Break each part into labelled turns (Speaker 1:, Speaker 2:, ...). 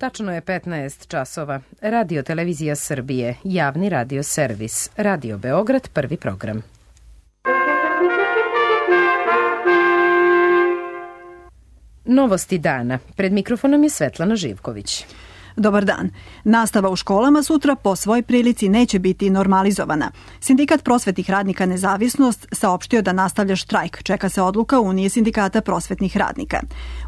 Speaker 1: Tačno je 15 časova. Radio Televizija Srbije, javni radio servis, Radio Beograd, prvi program. Novosti dana. Pred mikrofonom je Svetlana Živković.
Speaker 2: Dobar dan. Nastava u školama sutra po svoj prilici neće biti normalizovana. Sindikat prosvetnih radnika Nezavisnost saopštio da nastavlja štrajk. Čeka se odluka Unije sindikata prosvetnih radnika.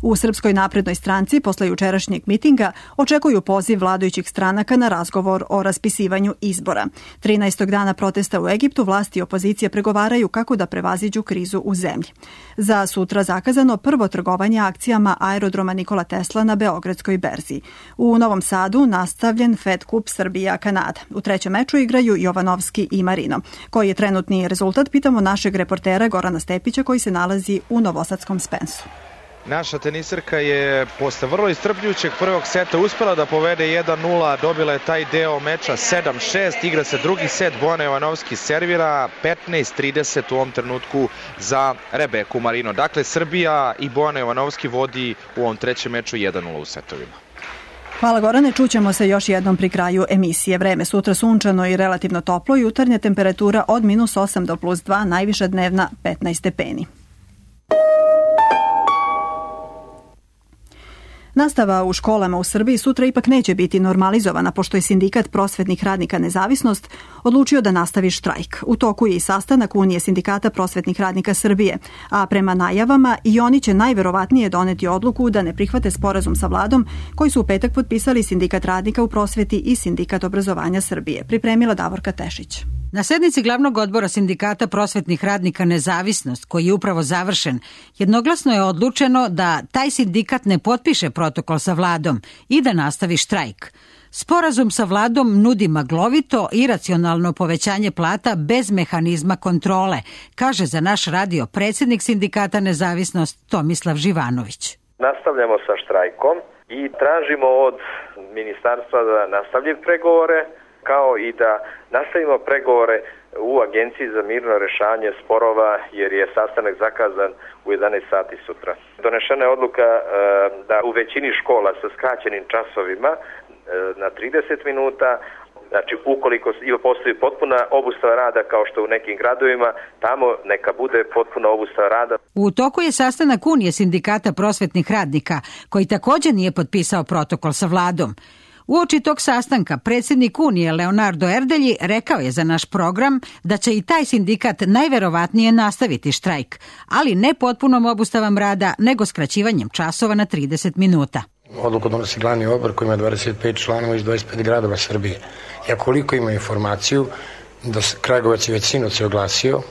Speaker 2: U Srpskoj naprednoj stranci posle jučerašnjeg mitinga očekuju poziv vladajućih stranaka na razgovor o raspisivanju izbora. 13. dana protesta u Egiptu vlasti i opozicija pregovaraju kako da prevaziđu krizu u zemlji. Za sutra zakazano prvo trgovanje akcijama aerodroma Nikola Tesla na Beogradskoj berzi. U Novom Sadu nastavljen Fed Kup Srbija-Kanada. U trećem meču igraju Jovanovski i Marino. Koji je trenutni rezultat, pitamo našeg reportera Gorana Stepića koji se nalazi u novosadskom Spensu.
Speaker 3: Naša teniserka je posle vrlo iscrpljujućeg prvog seta uspela da povede 1-0, dobila je taj deo meča 7-6, igra se drugi set, Bojana Jovanovski servira 15-30 u ovom trenutku za Rebeku Marino. Dakle, Srbija i Bojana Jovanovski vodi u ovom trećem meču 1-0 u setovima.
Speaker 2: Hvala Gorane, čućemo se još jednom pri kraju emisije. Vreme sutra sunčano i relativno toplo, jutarnja temperatura od -8 do +2, najviša dnevna 15 stepeni. Nastava u školama u Srbiji sutra ipak neće biti normalizovana, pošto je sindikat prosvetnih radnika Nezavisnost odlučio da nastavi štrajk. U toku je i sastanak Unije sindikata prosvetnih radnika Srbije, a prema najavama i oni će najverovatnije doneti odluku da ne prihvate sporazum sa vladom koji su u petak potpisali sindikat radnika u prosveti i sindikat obrazovanja Srbije. Pripremila Davorka Tešić.
Speaker 4: Na sednici glavnog odbora sindikata prosvetnih radnika Nezavisnost, koji je upravo završen, jednoglasno je odlučeno da taj sindikat ne potpiše protokol sa vladom i da nastavi štrajk. Sporazum sa vladom nudi maglovito i iracionalno povećanje plata bez mehanizma kontrole, kaže za naš radio predsjednik sindikata Nezavisnost Tomislav Živanović.
Speaker 5: Nastavljamo sa štrajkom i tražimo od ministarstva da nastavlja pregovore, kao i da nastavimo pregovore u Agenciji za mirno rešavanje sporova, jer je sastanak zakazan u 11 sati sutra. Donešena je odluka da u većini škola sa skraćenim časovima na 30 minuta, znači ukoliko postoji potpuna obustava rada kao što u nekim gradovima, tamo neka bude potpuna obustava rada.
Speaker 4: U toku je sastanak Unije sindikata prosvetnih radnika, koji također nije potpisao protokol sa vladom. Uoči tog sastanka predsjednik Unije Leonardo Erdelji rekao je za naš program da će i taj sindikat najverovatnije nastaviti štrajk, ali ne potpunom obustavom rada, nego skraćivanjem časova na 30 minuta.
Speaker 6: Odluku donosi glavni odbor koji ima 25 članova iz 25 gradova Srbije. Ja koliko ima informaciju da Kragujevac je već sinoć se oglasio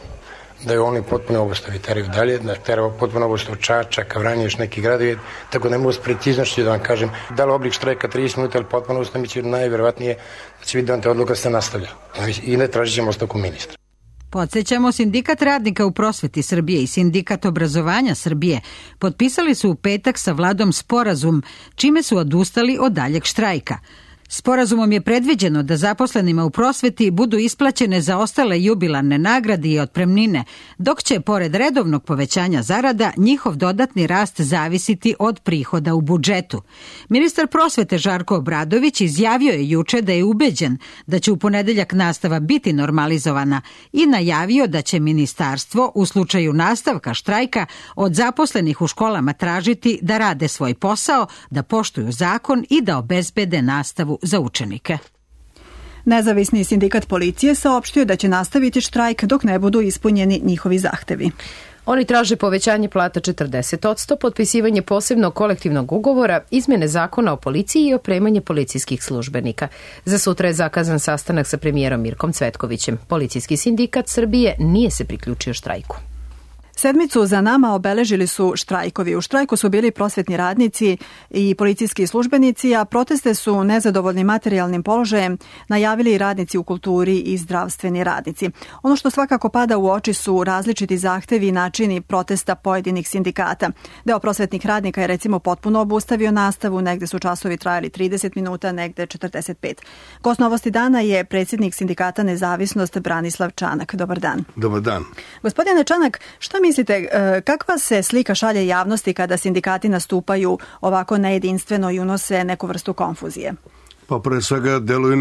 Speaker 6: da je oni potpuno obustavi teraju dalje, da teraju potpuno obustavu Čačak, Vranje, još neki gradovi, tako ne mogu s preciznošću da vam kažem da li oblik štrajka 30 minuta ili potpuno obustavi, će najverovatnije da će biti doneta odluka da se nastavlja i ne tražit ćemo ostavku ministra.
Speaker 4: Podsjećamo, sindikat radnika u prosveti Srbije i sindikat obrazovanja Srbije potpisali su u petak sa vladom sporazum, čime su odustali od daljeg štrajka. Sporazumom je predviđeno da zaposlenima u prosveti budu isplaćene zaostale jubilarne nagrade i otpremnine, dok će, pored redovnog povećanja zarada, njihov dodatni rast zavisiti od prihoda u budžetu. Ministar prosvete Žarko Obradović izjavio je juče da je ubeđen da će u ponedeljak nastava biti normalizovana i najavio da će ministarstvo u slučaju nastavka štrajka od zaposlenih u školama tražiti da rade svoj posao, da poštuju zakon i da obezbede nastavu za učenike.
Speaker 2: Nezavisni sindikat policije saopštio da će nastaviti štrajk dok ne budu ispunjeni njihovi zahtevi.
Speaker 1: Oni traže povećanje plata 40%, potpisivanje posebnog kolektivnog ugovora, izmjene zakona o policiji i opremanje policijskih službenika. Za sutra je zakazan sastanak sa premijerom Mirkom Cvetkovićem. Policijski sindikat Srbije nije se priključio štrajku.
Speaker 2: Sedmicu za nama obeležili su štrajkovi. U štrajku su bili prosvetni radnici i policijski službenici, a proteste su nezadovoljni materijalnim položajem najavili i radnici u kulturi i zdravstveni radnici. Ono što svakako pada u oči su različiti zahtevi i načini protesta pojedinih sindikata. Deo prosvetnih radnika je recimo potpuno obustavio nastavu, negde su časovi trajali 30 minuta, negde 45. Gost Novosti dana je predsjednik sindikata Nezavisnost Branislav Čanak. Dobar dan.
Speaker 7: Dobar dan.
Speaker 2: Gospodine Čanak, šta mislite, kakva se slika šalje javnosti kada sindikati nastupaju ovako nejedinstveno i unose neku vrstu konfuzije?
Speaker 7: Pa pre svega deluju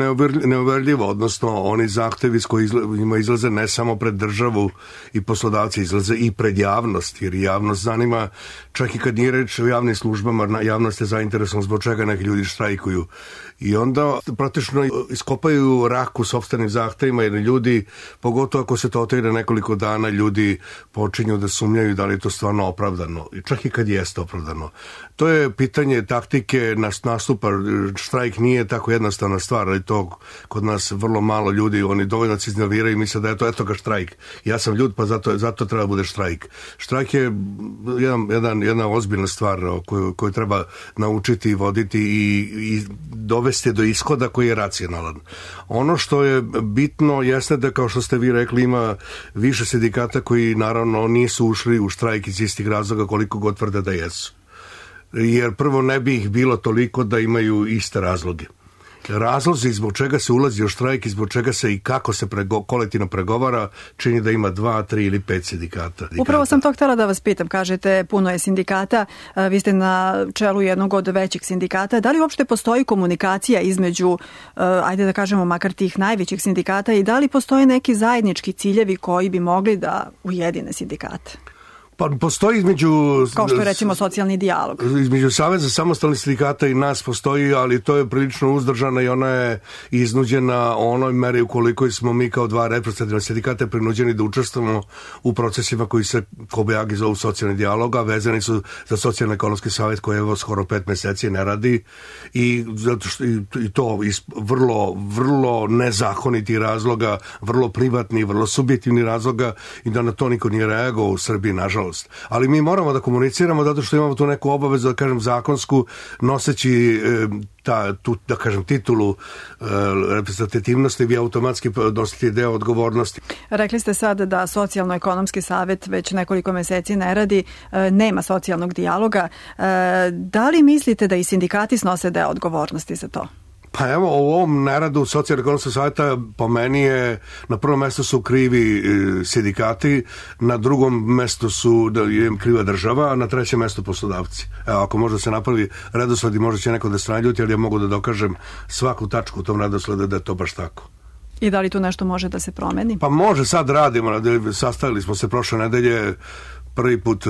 Speaker 7: neuverljivo, odnosno oni zahtevi s kojima izlaze ne samo pred državu i poslodavci, izlaze i pred javnost, jer javnost zanima, čak i kad nije reč o javnim službama, javnost je zainteresovana zbog čega neki ljudi štrajkuju. I onda praktično iskopaju rak u sopstvenim zahtevima, jer ljudi, pogotovo ako se to otraje nekoliko dana, ljudi počinju da sumnjaju da li je to stvarno opravdano, čak i kad jeste opravdano. To je pitanje taktike nastupa. Štrajk nije tako jednostavna stvar, ali to kod nas vrlo malo ljudi, oni dovoljno se iznerviraju i misle da je to, eto ga štrajk. Ja sam ljud, pa zato treba bude štrajk. Štrajk je jedna ozbiljna stvar koju treba naučiti i voditi i dovesti do ishoda koji je racionalan. Ono što je bitno jeste da, kao što ste vi rekli, ima više sindikata koji naravno nisu ušli u štrajk iz istih razloga koliko god tvrde da jesu. Jer prvo ne bi ih bilo toliko da imaju iste razloge. Razlozi zbog čega se ulazi u štrajk i zbog čega se i kako se kolektivno pregovara čini da ima 2, 3 ili 5 sindikata.
Speaker 2: Upravo sam to htjela da vas pitam. Kažete, puno je sindikata, vi ste na čelu jednog od većih sindikata. Da li uopšte postoji komunikacija između, ajde da kažemo, makar tih najvećih sindikata i da li postoje neki zajednički ciljevi koji bi mogli da ujedine sindikate?
Speaker 7: Pa postoji između...
Speaker 2: Kao što je recimo socijalni dijalog.
Speaker 7: Između Saveza samostalnih sindikata i nas postoji, ali to je prilično uzdržana i ona je iznuđena onoj meri ukoliko smo mi kao dva reprezentativna sindikata prinuđeni da učestvujemo u procesima koji se kobajagi zovu socijalni dijalog, a vezani su za socijalno-ekonomski savjet koji evo skoro 5 meseci ne radi i zato što i to iz vrlo nezakonitih razloga, vrlo privatni, vrlo subjektivni razloga i da na to niko nije reagovao u Srbiji, nažalost. Ali mi moramo da komuniciramo zato što imamo tu neku obavezu, da kažem, zakonsku, noseći tu, da kažem, titulu reprezentativnosti, vi automatski nosite deo odgovornosti.
Speaker 2: Rekli ste sad da socijalno-ekonomski savjet već nekoliko meseci ne radi, nema socijalnog dijaloga. Da li mislite da i sindikati snose deo odgovornosti za to?
Speaker 7: Pa evo, u ovom neradu socijalno-ekonomskog savjeta po meni je na prvom mjestu su krivi sindikati, na drugom mjestu je kriva država, a na trećem mjestu poslodavci. Evo, ako možda se napravi redosled i možda će neko da se naljuti, ali ja mogu da dokažem svaku tačku u tom redosledu da je to baš tako.
Speaker 2: I da li tu nešto može da se promeni?
Speaker 7: Pa može, sad radimo, sastavili smo se prošle nedelje, prvi put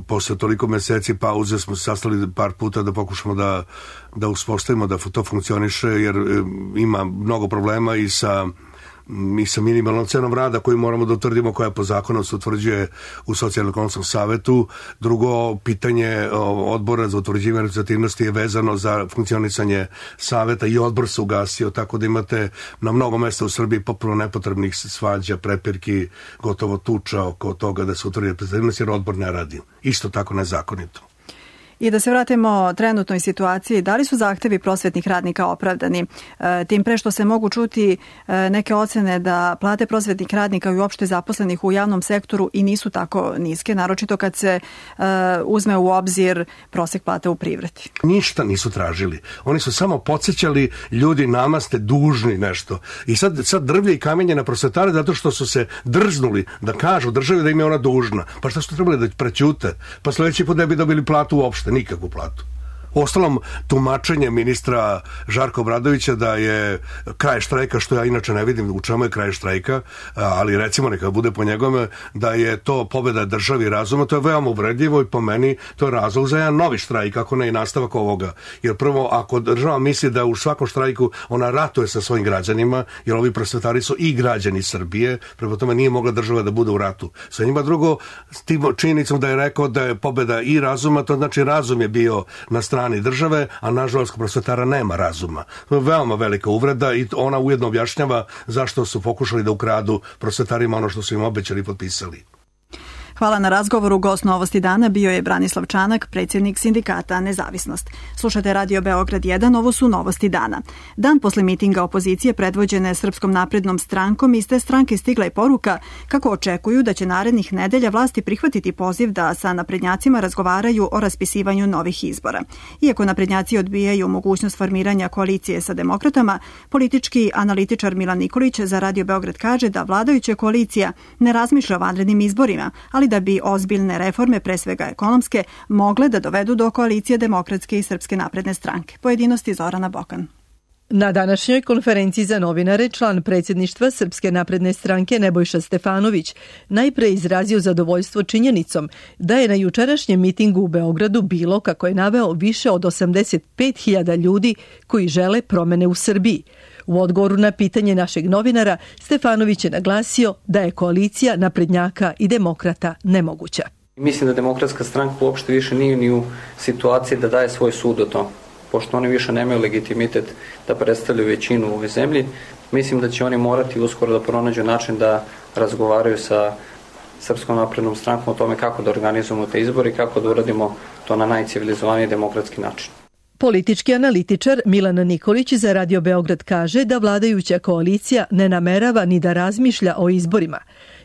Speaker 7: posle toliko meseci pauze smo se sastali par puta da pokušamo da uspostavimo da to funkcioniše, jer ima mnogo problema i sa minimalnom cenom rada koju moramo da utvrdimo, koja po zakonu se utvrđuje u socijalno-ekonomskom savetu. Drugo, pitanje odbora za utvrđivanje reprezentativnosti je vezano za funkcionisanje saveta i odbor se ugasio, tako da imate na mnogo mesta u Srbiji potpuno nepotrebnih svađa, prepirki, gotovo tuča oko toga da se utvrdi reprezentativnost jer odbor ne radi. Isto tako nezakonito.
Speaker 2: I da se vratimo trenutnoj situaciji, da li su zahtevi prosvetnih radnika opravdani? Tim pre što se mogu čuti neke ocene da plate prosvetnih radnika i uopšte zaposlenih u javnom sektoru i nisu tako niske, naročito kad se uzme u obzir prosek plate u privredi.
Speaker 7: Ništa nisu tražili. Oni su samo podsjećali ljudi, nama ste dužni nešto. I sad drvlje i kamenje na prosvetare zato što su se drznuli da kažu državi da im je ona dužna. Pa šta su trebali da prećute? Pa sljedeći put ne bi dobili platu uopšte. Nikakvu platu. Uostalom, tumačenje ministra Žarka Obradovića da je kraj štrajka, što ja inače ne vidim u čemu je kraj štrajka, ali recimo neka bude po njegove, da je to pobjeda državi razuma, to je veoma uvredljivo i po meni to je razlog za jedan novi štrajk, ako ne i nastavak ovoga. Jer prvo, ako država misli da u svakom štrajku ona ratuje sa svojim građanima, jer ovi prosvetari su i građani Srbije, prema tome nije mogla država da bude u ratu sa njima. Drugo, s tim činjenicom da je rekao da je pobjeda i razuma, to znači razum je bio na strani države, a nažalost kod prosvetara nema razuma. To je veoma velika uvreda i ona ujedno objašnjava zašto su pokušali da ukradu prosvetarima ono što su im obećali i potpisali.
Speaker 2: Hvala na razgovoru. Gost Novosti dana bio je Branislav Čanak, predsjednik sindikata Nezavisnost. Slušate Radio Beograd 1, ovo su Novosti dana. Dan posle mitinga opozicije predvođene Srpskom naprednom strankom, iz te stranke stigla je poruka kako očekuju da će narednih nedelja vlasti prihvatiti poziv da sa naprednjacima razgovaraju o raspisivanju novih izbora. Iako naprednjaci odbijaju mogućnost formiranja koalicije sa demokratama, politički analitičar Milan Nikolić za Radio Beograd kaže da vladajuća koalicija ne razmišlja o vanrednim izborima, ali ali da bi ozbiljne reforme, pre svega ekonomske, mogle da dovedu do koalicije Demokratske i Srpske napredne stranke. Pojedinosti Zorana Bokan.
Speaker 8: Na današnjoj konferenciji za novinare član predsjedništva Srpske napredne stranke Nebojša Stefanović najpre izrazio zadovoljstvo činjenicom da je na jučerašnjem mitingu u Beogradu bilo, kako je naveo, više od 85.000 ljudi koji žele promene u Srbiji. U odgovoru na pitanje našeg novinara, Stefanović je naglasio da je koalicija naprednjaka i demokrata nemoguća.
Speaker 9: Mislim da Demokratska stranka uopšte više nije ni u situaciji da daje svoj sud o tom. Pošto oni više nemaju legitimitet da predstavljaju većinu u ovoj zemlji, mislim da će oni morati uskoro da pronađu način da razgovaraju sa Srpskom naprednom strankom o tome kako da organizujemo te izbore i kako da uradimo to na najcivilizovaniji demokratski način.
Speaker 8: Politički analitičar Milan Nikolić za Radio Beograd kaže da vladajuća koalicija ne namerava ni da razmišlja o izborima.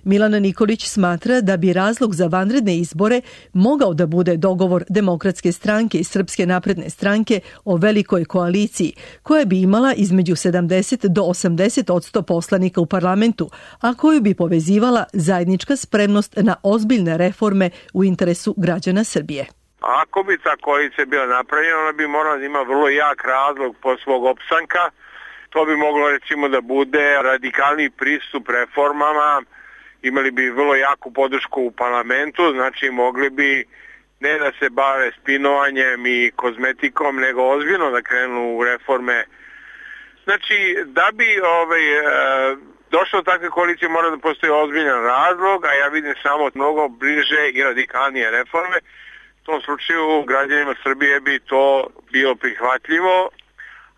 Speaker 8: Milan Nikolić smatra da bi razlog za vanredne izbore mogao da bude dogovor Demokratske stranke i Srpske napredne stranke o velikoj koaliciji, koja bi imala između 70 do 80% poslanika u parlamentu, a koju bi povezivala zajednička spremnost na ozbiljne reforme u interesu građana Srbije.
Speaker 10: Ako bi ta koalicija bila napravljena, ona bi morala da ima vrlo jak razlog po svog opstanka. To bi moglo recimo da bude radikalni pristup reformama, imali bi vrlo jaku podršku u parlamentu, znači mogli bi ne da se bave spinovanjem i kozmetikom, nego ozbiljno da krenu u reforme. Znači, da bi došlo do takve koalicije mora da postoji ozbiljan razlog, a ja vidim samo mnogo bliže i radikalnije reforme. U tom slučaju građanima Srbije bi to bilo prihvatljivo,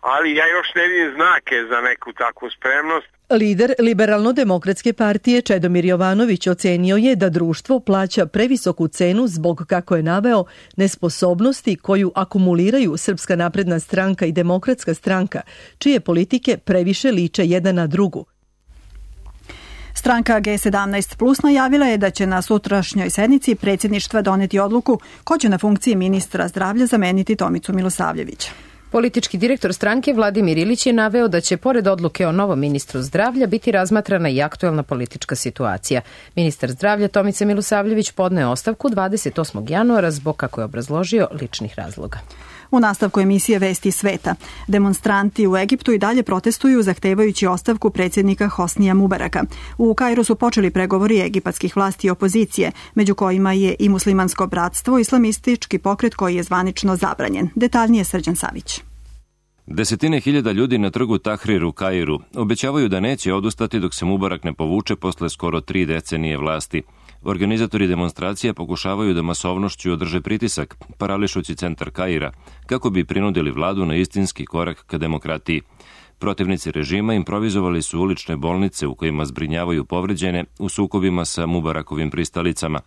Speaker 10: ali ja još ne vidim znake za neku takvu spremnost.
Speaker 8: Lider Liberalno-demokratske partije Čedomir Jovanović ocenio je da društvo plaća previsoku cenu zbog, kako je naveo, nesposobnosti koju akumuliraju Srpska napredna stranka i Demokratska stranka, čije politike previše liče jedna na drugu.
Speaker 2: Stranka G17 Plus najavila je da će na sutrašnjoj sednici predsjedništva doneti odluku ko će na funkciji ministra zdravlja zameniti Tomicu Milosavljevića.
Speaker 1: Politički direktor stranke Vladimir Ilić je naveo da će pored odluke o novom ministru zdravlja biti razmatrana i aktuelna politička situacija. Ministar zdravlja Tomica Milosavljević podneo ostavku 28. januara zbog, kako je obrazložio, ličnih razloga.
Speaker 2: U nastavku emisije Vesti sveta, demonstranti u Egiptu i dalje protestuju zahtevajući ostavku predsjednika Hosnija Mubaraka. U Kairu su počeli pregovori egipatskih vlasti i opozicije, među kojima je i muslimansko bratstvo, islamistički pokret koji je zvanično zabranjen. Detaljnije Srđan Savić.
Speaker 11: Desetine hiljada ljudi na trgu Tahrir u Kairu obećavaju da neće odustati dok se Mubarak ne povuče posle skoro 3 decenije vlasti. Organizatori demonstracija pokušavaju da masovnošću održe pritisak, parališući centar Kaira, kako bi prinudili vladu na istinski korak ka demokratiji. Protivnici režima improvizovali su ulične bolnice u kojima zbrinjavaju povređene u sukobima sa Mubarakovim pristalicama.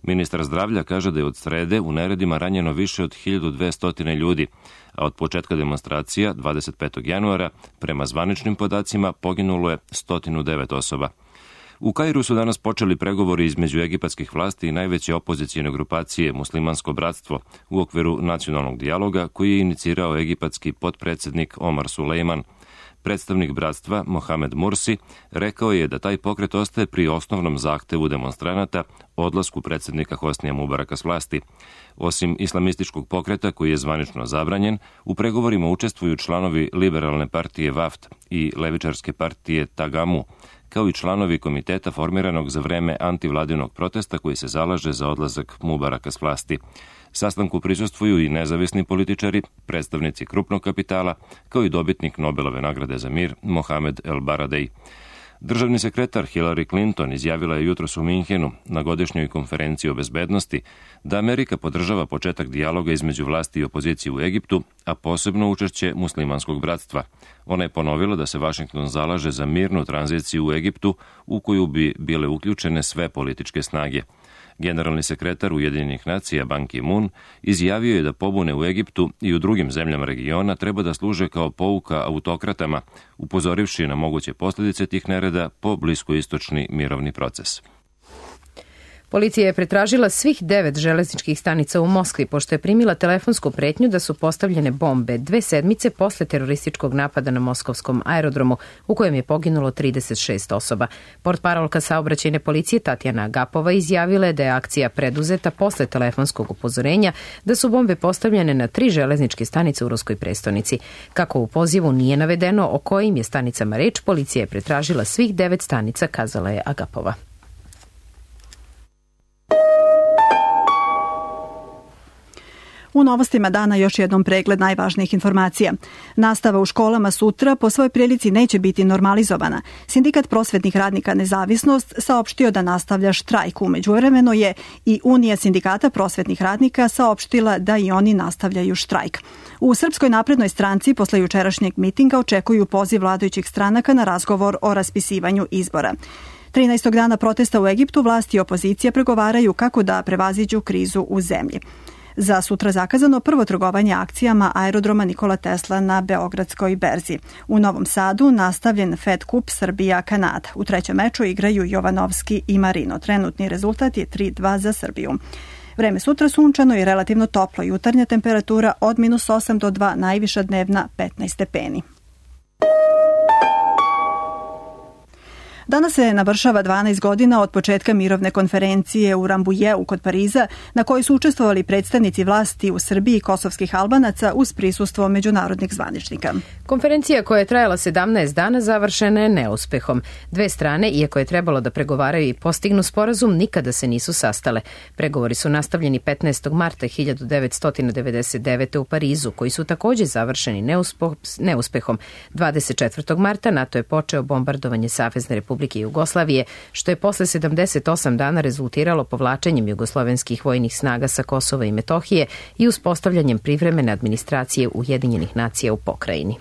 Speaker 11: Ministar zdravlja kaže da je od srede u neredima ranjeno više od 1200 ljudi, a od početka demonstracija 25. januara prema zvaničnim podacima poginulo je 109 osoba. U Kairu su danas počeli pregovori između egipatskih vlasti i najveće opozicijne grupacije Muslimansko bratstvo u okviru nacionalnog dijaloga koji je inicirao egipatski potpredsjednik Omar Sulejman. Predstavnik bratstva Mohamed Mursi rekao je da taj pokret ostaje pri osnovnom zahtevu demonstranata odlasku predsjednika Hosnija Mubaraka s vlasti. Osim islamističkog pokreta koji je zvanično zabranjen, u pregovorima učestvuju članovi liberalne partije Vaft i levičarske partije Tagamu, kao i članovi komiteta formiranog za vreme antivladinog protesta koji se zalaže za odlazak Mubaraka s vlasti. Sastanku prisustvuju i nezavisni političari, predstavnici krupnog kapitala, kao i dobitnik Nobelove nagrade za mir Mohamed El Baradei. Državni sekretar Hillary Clinton izjavila je jutros u Minhenu na godišnjoj konferenciji o bezbednosti da Amerika podržava početak dijaloga između vlasti i opozicije u Egiptu, a posebno učešće muslimanskog bratstva. Ona je ponovila da se Vašington zalaže za mirnu tranziciju u Egiptu u koju bi bile uključene sve političke snage. Generalni sekretar Ujedinjenih nacija Ban Ki-moon izjavio je da pobune u Egiptu i u drugim zemljama regiona treba da služe kao pouka autokratama, upozorivši na moguće posljedice tih nereda po bliskoistočni mirovni proces.
Speaker 1: Policija je pretražila svih 9 železničkih stanica u Moskvi, pošto je primila telefonsku pretnju da su postavljene bombe 2 sedmice posle terorističkog napada na moskovskom aerodromu, u kojem je poginulo 36 osoba. Portparolka saobraćajne policije Tatjana Agapova izjavila je da je akcija preduzeta posle telefonskog upozorenja da su bombe postavljene na 3 železničke stanice u ruskoj prestonici. Kako u pozivu nije navedeno o kojim je stanicama reč, policija je pretražila svih 9 stanica, kazala je Agapova.
Speaker 2: U novostima dana još jednom pregled najvažnijih informacija. Nastava u školama sutra po svoj prilici neće biti normalizovana. Sindikat prosvetnih radnika Nezavisnost saopštio da nastavlja štrajk. Umeđuvremeno je i Unija sindikata prosvetnih radnika saopštila da i oni nastavljaju štrajk. U Srpskoj naprednoj stranci posle jučerašnjeg mitinga očekuju poziv vladajućih stranaka na razgovor o raspisivanju izbora. 13. dana protesta u Egiptu vlasti i opozicija pregovaraju kako da prevaziđu krizu u zemlji. Za sutra zakazano prvo trgovanje akcijama aerodroma Nikola Tesla na Beogradskoj berzi. U Novom Sadu nastavljen Fed Kup Srbija-Kanada. U trećem meču igraju Jovanovski i Marino. Trenutni rezultat je 3-2 za Srbiju. Vreme sutra sunčano i relativno toplo. Jutarnja temperatura od -8 do 2, najviša dnevna 15 stepeni. Danas se navršava 12 godina od početka mirovne konferencije u Rambujeu kod Pariza, na kojoj su učestvovali predstavnici vlasti u Srbiji i kosovskih Albanaca uz prisustvo međunarodnih zvaničnika.
Speaker 1: Konferencija koja je trajala 17 dana završena je neuspehom. Dve strane, iako je trebalo da pregovaraju i postignu sporazum, nikada se nisu sastale. Pregovori su nastavljeni 15. marta 1999. u Parizu, koji su također završeni neuspehom. 24. marta NATO je počeo bombardovanje Savezne Republike Jugoslavije, što je posle 78 dana rezultiralo povlačenjem jugoslovenskih vojnih snaga sa Kosova i Metohije i uspostavljanjem privremene administracije Ujedinjenih nacija u pokrajini.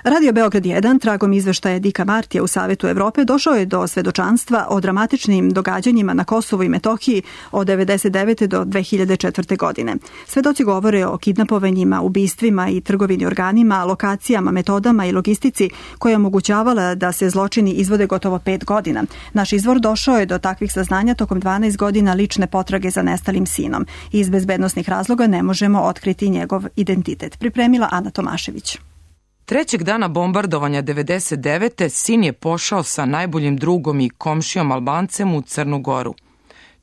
Speaker 2: Radio Beograd 1, tragom izveštaja Dika Martija u Savetu Evrope, došao je do svedočanstva o dramatičnim događanjima na Kosovu i Metohiji od 1999. do 2004. godine. Svedoci govore o kidnapovanjima, ubistvima i trgovini organima, lokacijama, metodama i logistici koja je omogućavala da se zločini izvode gotovo 5 godina. Naš izvor došao je do takvih saznanja tokom 12 godina lične potrage za nestalim sinom. Iz bezbednosnih razloga ne možemo otkriti njegov identitet. Pripremila Ana Tomašević.
Speaker 12: Trećeg dana bombardovanja 99. sin je pošao sa najboljim drugom i komšijom Albancem u Crnu Goru.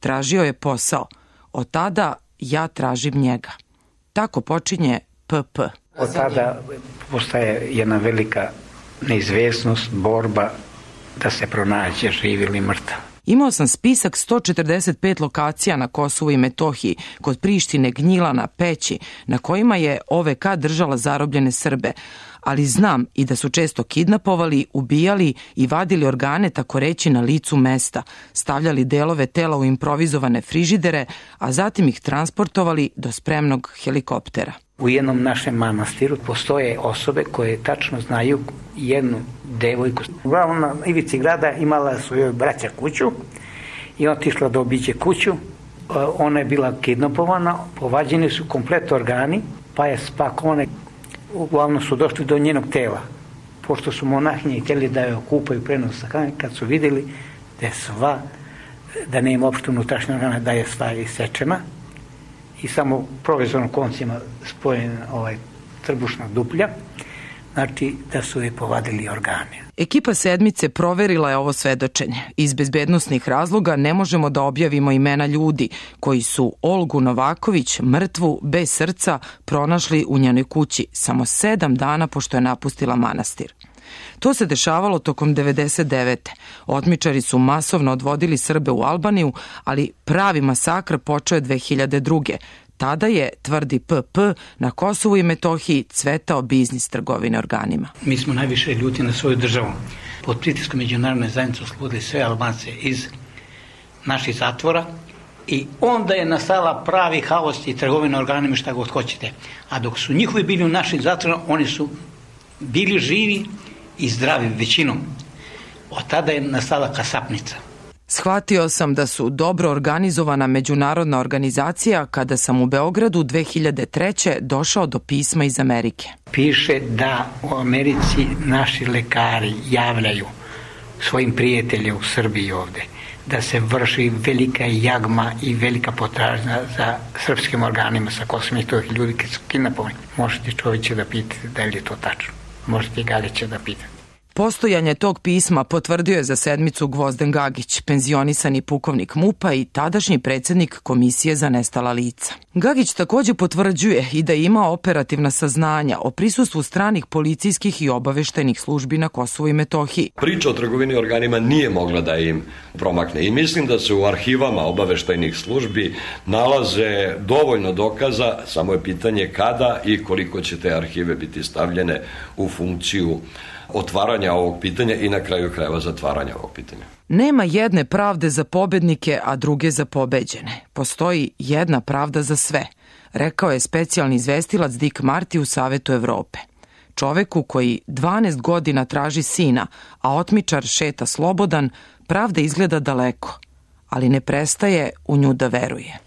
Speaker 12: Tražio je posao. Od tada ja tražim njega. Tako počinje PP.
Speaker 13: Od tada postaje jedna velika neizvesnost, borba da se pronađe živ ili mrtav.
Speaker 12: Imao sam spisak 145 lokacija na Kosovu i Metohiji, kod Prištine, Gnjilana, Peći, na kojima je OVK držala zarobljene Srbe, ali znam i da su često kidnapovali, ubijali i vadili organe tako reći na licu mesta, stavljali delove tela u improvizovane frižidere, a zatim ih transportovali do spremnog helikoptera.
Speaker 13: U jednom našem manastiru postoje osobe koje tačno znaju jednu devojku. Uglavnom na ivici grada imala su joj braća kuću i otišla da obiđe kuću. Ona je bila kidnapovana, povađeni su komplet organi, pa je spakovane. Uglavnom su došli do njenog tela. Pošto su monahinje htjeli da je okupaju prenos sahrane, kad su vidjeli da nema uopšte unutrašnje organa, da je sva isečena i samo provizorno koncima spojena trbušna duplja, znači da su je povadili organe.
Speaker 12: Ekipa sedmice proverila je ovo svedočenje. Iz bezbednosnih razloga ne možemo da objavimo imena ljudi koji su Olgu Novaković, mrtvu, bez srca, pronašli u njenoj kući samo 7 dana pošto je napustila manastir. To se dešavalo tokom 99. Otmičari su masovno odvodili Srbe u Albaniju, ali pravi masakr počeo je 2002. Tada je, tvrdi PP, na Kosovu i Metohiji cvetao biznis trgovine organima.
Speaker 13: Mi smo najviše ljuti na svoju državu. Pod pritiskom međunarodne zajednice oslobodili sve Albance iz naših zatvora i onda je nastala pravi haos i trgovina organima, šta god hoćete. A dok su njihovi bili u našim zatvorima, oni su bili živi i zdravi većinom. Od tada je nastala kasapnica.
Speaker 12: Shvatio sam da su dobro organizovana međunarodna organizacija kada sam u Beogradu 2003. došao do pisma iz Amerike.
Speaker 13: Piše da u Americi naši lekari javljaju svojim prijateljima u Srbiji ovde da se vrši velika jagma i velika potražnja za srpskim organima sa Kosova i Metohije, ljudi koji su kidnapovani. Možete Čovića da pitate da li je to tačno. Možete i Galića da pitate.
Speaker 12: Postojanje tog pisma potvrdio je za sedmicu Gvozden Gagić, penzionisani pukovnik MUP-a i tadašnji predsjednik Komisije za nestala lica. Gagić također potvrđuje i da ima operativna saznanja o prisustvu stranih policijskih i obaveštajnih službi na Kosovu i Metohiji.
Speaker 14: Priča o trgovini organima nije mogla da im promakne i mislim da se u arhivama obaveštajnih službi nalaze dovoljno dokaza, samo je pitanje kada i koliko će te arhive biti stavljene u funkciju otvaranja ovog pitanja i na kraju krajeva zatvaranja ovog pitanja.
Speaker 12: Nema jedne pravde za pobednike, a druge za pobeđene. Postoji jedna pravda za sve, rekao je specijalni izvestilac Dick Marty u Savetu Evrope. Čoveku koji 12 godina traži sina, a otmičar šeta slobodan, pravda izgleda daleko, ali ne prestaje u nju da veruje.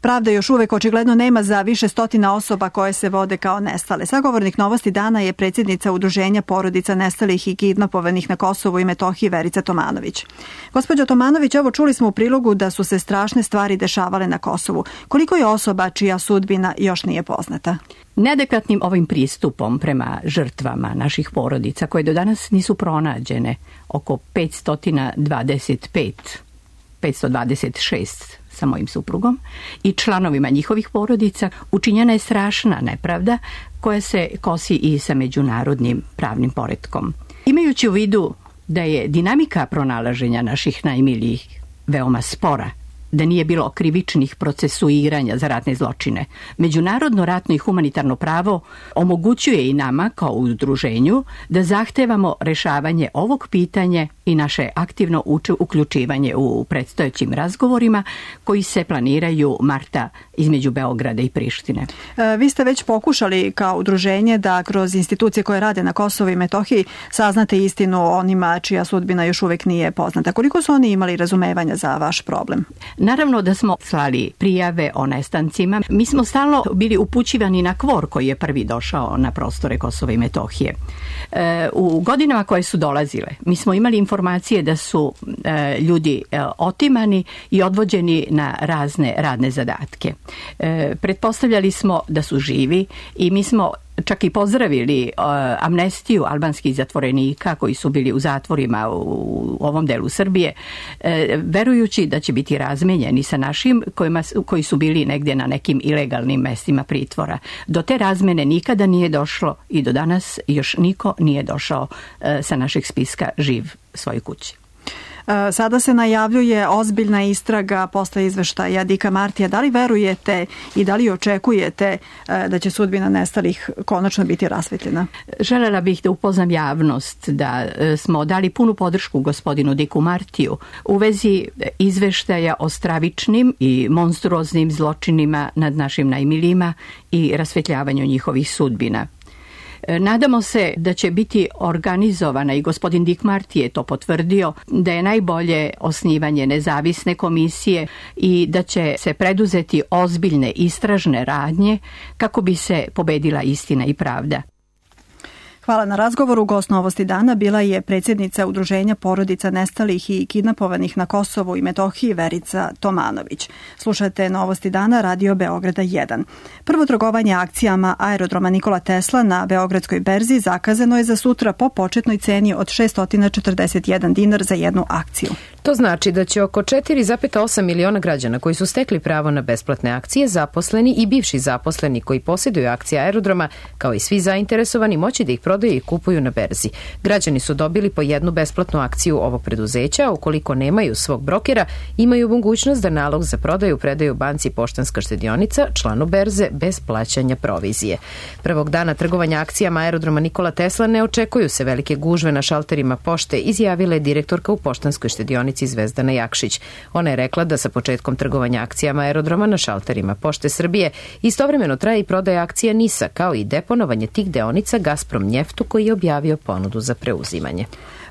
Speaker 2: Pravda još uvek očigledno nema za više stotina osoba koje se vode kao nestale. Sagovornik Novosti dana je predsjednica Udruženja porodica nestalih i kidnapovanih na Kosovu i Metohiji Verica Tomanović. Gospođo Tomanović, evo čuli smo u prilogu da su se strašne stvari dešavale na Kosovu. Koliko je osoba čija sudbina još nije poznata?
Speaker 15: Neadekvatnim ovim pristupom prema žrtvama naših porodica koje do danas nisu pronađene, oko 526 sa mojim suprugom i članovima njihovih porodica, učinjena je strašna nepravda koja se kosi i sa međunarodnim pravnim poretkom. Imajući u vidu da je dinamika pronalaženja naših najmilijih veoma spora, da nije bilo krivičnih procesuiranja za ratne zločine, međunarodno ratno i humanitarno pravo omogućuje i nama kao udruženju da zahtevamo rešavanje ovog pitanja i naše aktivno uključivanje u predstojećim razgovorima koji se planiraju marta između Beograda i Prištine.
Speaker 2: Vi ste već pokušali kao udruženje da kroz institucije koje rade na Kosovu i Metohiji saznate istinu o onima čija sudbina još uvek nije poznata. Koliko su oni imali razumevanja za vaš problem?
Speaker 15: Naravno da smo slali prijave o nestancima. Mi smo stalno bili upućivani na KFOR koji je prvi došao na prostore Kosova i Metohije. U godinama koje su dolazile, mi smo imali informacije da su ljudi otimani i odvođeni na razne radne zadatke. Pretpostavljali smo da su živi i mi smo čak i pozdravili amnestiju albanskih zatvorenika koji su bili u zatvorima u ovom delu Srbije, verujući da će biti razmenjeni sa našim koji su bili negdje na nekim ilegalnim mestima pritvora. Do te razmene nikada nije došlo i do danas još niko nije došao sa našeg spiska živ svojoj kući.
Speaker 2: Sada se najavljuje ozbiljna istraga posle izveštaja Dicka Martija. Da li verujete i da li očekujete da će sudbina nestalih konačno biti rasvetljena?
Speaker 15: Želela bih da upoznam javnost da smo dali punu podršku gospodinu Dicku Martiju u vezi izveštaja o stravičnim i monstruoznim zločinima nad našim najmilijima i rasvetljavanju njihovih sudbina. Nadamo se da će biti organizovana, i gospodin Dick Marty je to potvrdio, da je najbolje osnivanje nezavisne komisije i da će se preduzeti ozbiljne istražne radnje kako bi se pobedila istina i pravda.
Speaker 2: Hvala na razgovoru. Gost Novosti dana bila je predsjednica Udruženja porodica nestalih i kidnapovanih na Kosovu i Metohiji Verica Tomanović. Slušate Novosti dana Radio Beograda 1. Prvo trgovanje akcijama aerodroma Nikola Tesla na Beogradskoj berzi zakazano je za sutra po početnoj ceni od 641 dinar za jednu akciju.
Speaker 1: To znači da će oko 4,8 miliona građana koji su stekli pravo na besplatne akcije, zaposleni i bivši zaposleni koji posjeduju akcije aerodroma, kao i svi zainteresovani, moći da ih prodaju i kupuju na berzi. Građani su dobili po jednu besplatnu akciju ovog preduzeća, a ukoliko nemaju svog brokera, imaju mogućnost da nalog za prodaju predaju banci Poštanska štedionica, članu berze, bez plaćanja provizije. Prvog dana trgovanja akcijama aerodroma Nikola Tesla ne očekuju se velike gužve na šalterima pošte, izjavila je direktorka u Poštanskoj štedionici Zvezdana Jakšić. Ona je rekla da sa početkom trgovanja akcijama aerodroma na šalterima Pošte Srbije istovremeno traje i prodaja akcija NIS-a, kao i deponovanje tih deonica Gazprom Njeftu koji je objavio ponudu za preuzimanje.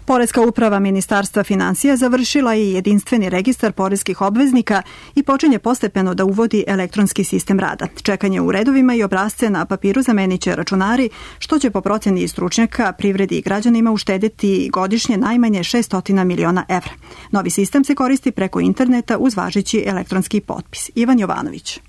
Speaker 2: Poreska uprava Ministarstva finansija završila je jedinstveni registar poreskih obveznika i počinje postepeno da uvodi elektronski sistem rada. Čekanje u redovima i obrasce na papiru zamenit će računari, što će po proceni stručnjaka privredi i građanima uštedeti godišnje najmanje 600 miliona evra. Novi sistem se koristi preko interneta uz važeći elektronski potpis. Ivan Jovanović.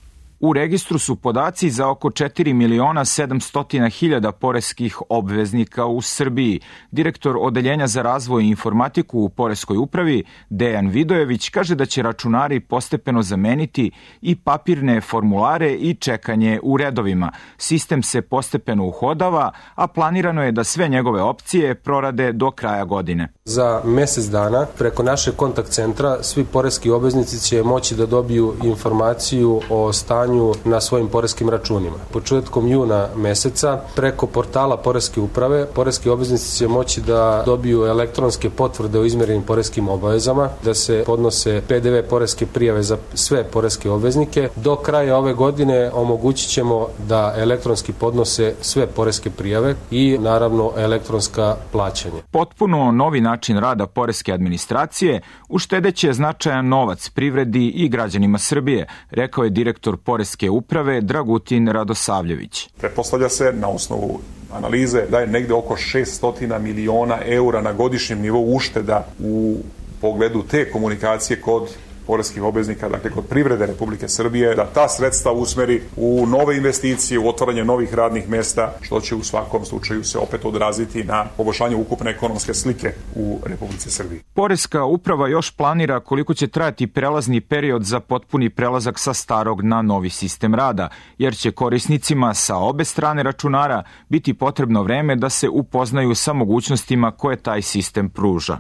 Speaker 16: U registru su podaci za oko 4.700.000 poreskih obveznika u Srbiji. Direktor Odeljenja za razvoj i informatiku u Poreskoj upravi, Dejan Vidojević, kaže da će računari postepeno zameniti i papirne formulare i čekanje u redovima. Sistem se postepeno uhodava, a planirano je da sve njegove opcije prorade do kraja godine.
Speaker 17: Za mesec dana preko našeg kontakt centra svi poreski obveznici će moći da dobiju informaciju o stanju na svojim poreskim računima. Početkom juna meseca preko portala Poreske uprave poreski obveznici će moći da dobiju elektronske potvrde o izmerenim poreskim obavezama, da se podnose PDV poreske prijave za sve poreske obveznike. Do kraja ove godine omogućit ćemo da elektronski podnose sve poreske prijave i naravno elektronska plaćanja.
Speaker 16: Potpuno novi način rada poreske administracije uštedeće značajan novac privredi i građanima Srbije, rekao je direktor Poreske uprave Dragutin Radosavljević.
Speaker 18: Pretpostavlja se na osnovu analize da je negde oko 600 miliona eura na godišnjem nivou ušteda u pogledu te komunikacije kod poreskih obveznika, dakle kod privrede Republike Srbije, da ta sredstva usmeri u nove investicije, u otvaranje novih radnih mesta, što će u svakom slučaju se opet odraziti na poboljšanje ukupne ekonomske slike u Republici Srbiji.
Speaker 16: Poreska uprava još planira koliko će trajati prelazni period za potpuni prelazak sa starog na novi sistem rada, jer će korisnicima sa obe strane računara biti potrebno vreme da se upoznaju sa mogućnostima koje taj sistem pruža.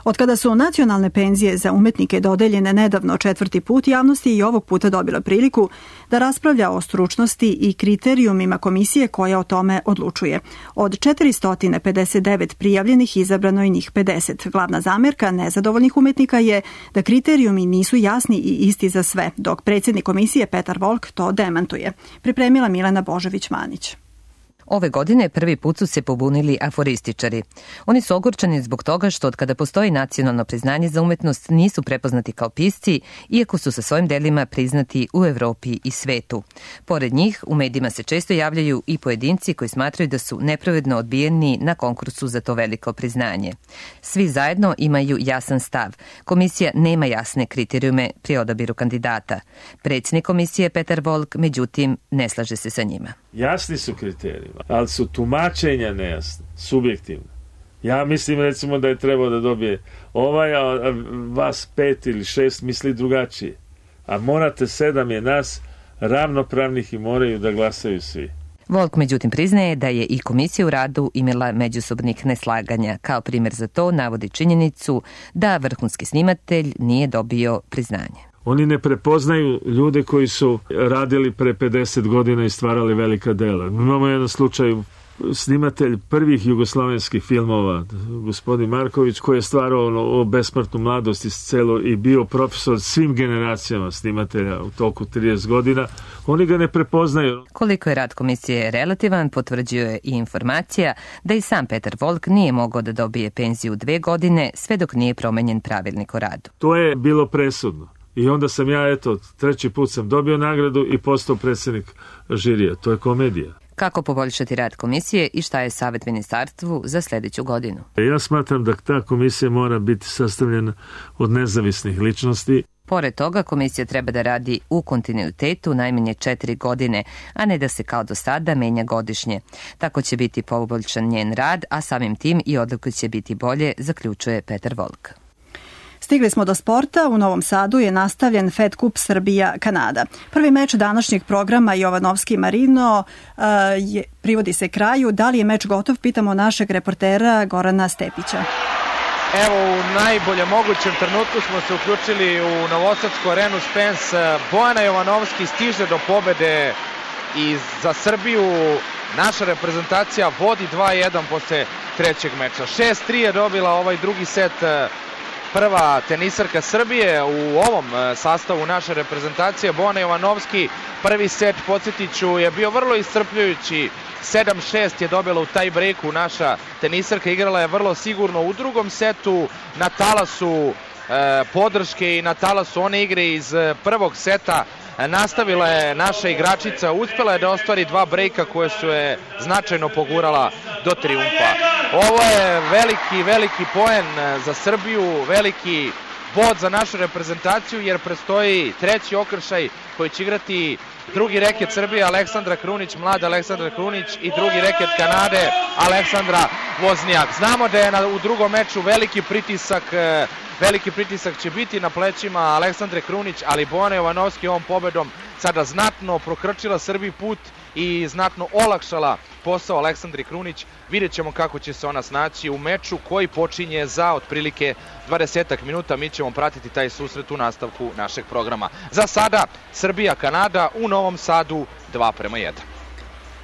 Speaker 2: Od kada su nacionalne penzije za umetnike dodeljene nedavno 4. put, javnost je i ovog puta dobila priliku da raspravlja o stručnosti i kriterijumima komisije koja o tome odlučuje. Od 459 prijavljenih izabrano je njih 50. Glavna zamerka nezadovoljnih umetnika je da kriterijumi nisu jasni i isti za sve, dok predsjednik komisije Petar Volk to demantuje. Pripremila Milena Božović-Manić.
Speaker 19: Ove godine prvi put su se pobunili aforističari. Oni su ogorčeni zbog toga što od kada postoji nacionalno priznanje za umetnost nisu prepoznati kao pisci, iako su sa svojim delima priznati u Evropi i svetu. Pored njih, u medijima se često javljaju i pojedinci koji smatraju da su nepravedno odbijeni na konkursu za to veliko priznanje. Svi zajedno imaju jasan stav. Komisija nema jasne kriterijume pri odabiru kandidata. Predsjednik komisije Petar Volk, međutim, ne slaže se sa njima.
Speaker 20: Jasni su kriteriji, ali su tumačenja nejasne, subjektivne. Ja mislim recimo da je trebao da dobije ovaj, a vas 5 ili 6 misli drugačije. A morate 7 je nas ravnopravnih i moraju da glasaju svi.
Speaker 19: Volk međutim priznaje da je i komisija u radu imala međusobnih neslaganja. Kao primjer za to navodi činjenicu da vrhunski snimatelj nije dobio priznanje.
Speaker 20: Oni ne prepoznaju ljude koji su radili pre 50 godina i stvarali velika dela. Imamo jedan slučaj, snimatelj prvih jugoslavenskih filmova, gospodin Marković, koji je stvarao o besmrtnu mladosti i bio profesor svim generacijama snimatelja u toku 30 godina. Oni ga ne prepoznaju.
Speaker 19: Koliko je rad komisije relativan, potvrđuje i informacija da i sam Petar Volk nije mogao da dobije penziju 2 godine, sve dok nije promenjen pravilnik o radu.
Speaker 20: To je bilo presudno. I onda sam ja, 3. put sam dobio nagradu i postao predsjednik žirija. To je komedija.
Speaker 19: Kako poboljšati rad komisije i šta je savjet ministarstvu za sljedeću godinu?
Speaker 20: Ja smatram da ta komisija mora biti sastavljena od nezavisnih ličnosti.
Speaker 19: Pored toga, komisija treba da radi u kontinuitetu najmanje 4 godine, a ne da se kao do sada menja godišnje. Tako će biti poboljšan njen rad, a samim tim i odluke će biti bolje, zaključuje Petar Volk.
Speaker 2: Stigli smo do sporta. U Novom Sadu je nastavljen Fed Kup Srbija-Kanada. Prvi meč današnjeg programa Jovanovski-Marino privodi se kraju. Da li je meč gotov? Pitamo našeg reportera Gorana Stepića.
Speaker 3: Evo, u najboljem mogućem trenutku smo se uključili u Novosadsku arenu Spence. Bojana Jovanovski stiže do pobede i za Srbiju naša reprezentacija vodi 2-1 posle trećeg meča. 6-3 je dobila ovaj drugi set prva tenisarka Srbije u ovom sastavu naše reprezentacije, Bojana Jovanovski. Prvi set, podsjetit ću, je bio vrlo iscrpljujući. 7-6 je dobila u taj breaku naša tenisarka, igrala je vrlo sigurno. U drugom setu na talasu podrške i na talasu one igre iz prvog seta nastavila je naša igračica, uspela je da ostvari 2 brejka koje su je značajno pogurala do trijumfa. Ovo je veliki poen za Srbiju, veliki bod za našu reprezentaciju, jer predstoji treći okršaj koji će igrati drugi reket Srbije Aleksandra Krunić, mlada Aleksandra Krunić, i drugi reket Kanade Aleksandra Voznjak. Znamo da je u drugom meču veliki pritisak će biti na plećima Aleksandre Krunić, ali Bojana Jovanovski ovom pobedom sada znatno prokrčila Srbiji put i znatno olakšala posao Aleksandri Krunić. Vidjet ćemo kako će se ona snaći u meču koji počinje za otprilike 20 minuta. Mi ćemo pratiti taj susret u nastavku našeg programa. Za sada Srbija-Kanada u Novom Sadu 2:1.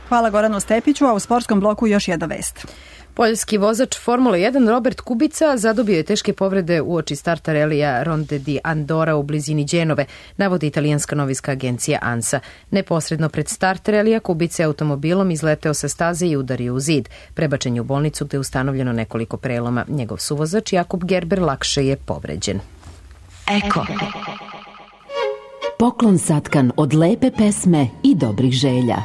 Speaker 2: Hvala Goranu Stepiću, a u sportskom bloku još jedna vest.
Speaker 1: Poljski vozač Formule 1 Robert Kubica zadobio je teške povrede uoči starta relija Ronde di Andora u blizini Đenove, navodi italijanska novinska agencija ANSA. Neposredno pred start relija Kubica je automobilom izleteo sa staze i udario u zid. Prebačen je u bolnicu gde je ustanovljeno nekoliko preloma. Njegov suvozač Jakub Gerber lakše je povređen.
Speaker 21: Eko. Poklon satkan od lepe pesme i dobrih želja.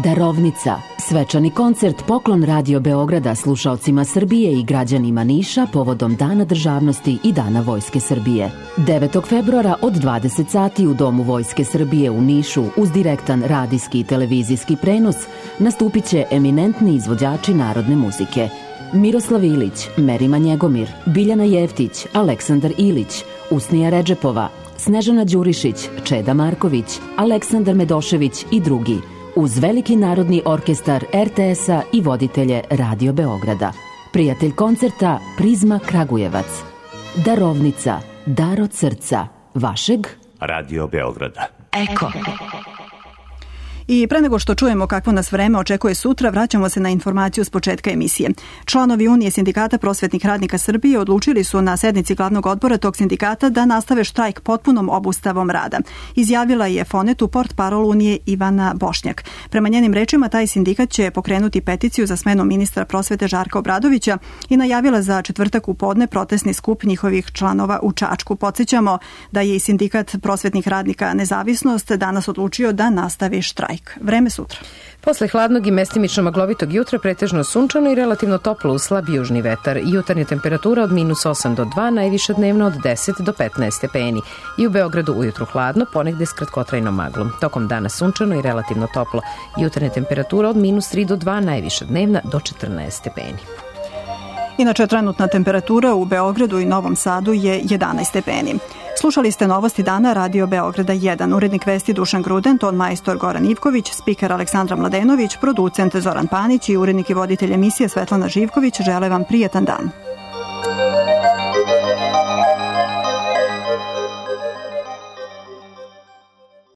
Speaker 21: Darovnica. Svečani koncert Poklon Radio Beograda slušaocima Srbije i građanima Niša povodom Dana državnosti i Dana Vojske Srbije. 9. februara od 20 sati u Domu Vojske Srbije u Nišu uz direktan radijski i televizijski prenos nastupit će eminentni izvođači narodne muzike. Miroslav Ilić, Merima Njegomir, Biljana Jeftić, Aleksandar Ilić, Usnija Redžepova, Snežana Đurišić, Čeda Marković, Aleksandar Medošević i drugi, uz veliki narodni orkestar RTS-a i voditelje Radio Beograda. Prijatelj koncerta Prizma Kragujevac. Darovnica, dar od srca, vašeg
Speaker 22: Radio Beograda.
Speaker 21: Eko.
Speaker 2: I pre nego što čujemo kakvo nas vreme očekuje sutra, vraćamo se na informaciju s početka emisije. Članovi Unije sindikata prosvetnih radnika Srbije odlučili su na sednici glavnog odbora tog sindikata da nastave štrajk potpunom obustavom rada. Izjavila je Fonetu portparol Unije Ivana Bošnjak. Prema njenim rečima, taj sindikat će pokrenuti peticiju za smenu ministra prosvete Žarka Obradovića i najavila za četvrtak u podne protestni skup njihovih članova u Čačku. Podsjećamo da je i sindikat prosvetnih radnika Nezavisnost danas odlučio da nastavi štrajk. Vreme sutra.
Speaker 1: Posle hladnog i mestimično maglovitog jutra pretežno sunčano i relativno toplo uz slab južni vetar. Jutarnja temperatura od -8 do 2, najviša dnevno od 10 do 15 stepeni. I u Beogradu ujutru hladno, ponegde s kratkotrajnom maglom. Tokom dana sunčano i relativno toplo. Jutarnja temperatura od -3 do 2, najviša dnevna do 14 stepeni.
Speaker 2: Inače, trenutna temperatura u Beogradu i Novom Sadu je 11 stepeni. Slušali ste novosti dana Radio Beograda 1. Urednik vesti Dušan Gruden, ton majstor Goran Ivković, spiker Aleksandra Mladenović, producent Zoran Panić i urednik i voditelj emisije Svetlana Živković žele vam prijetan dan.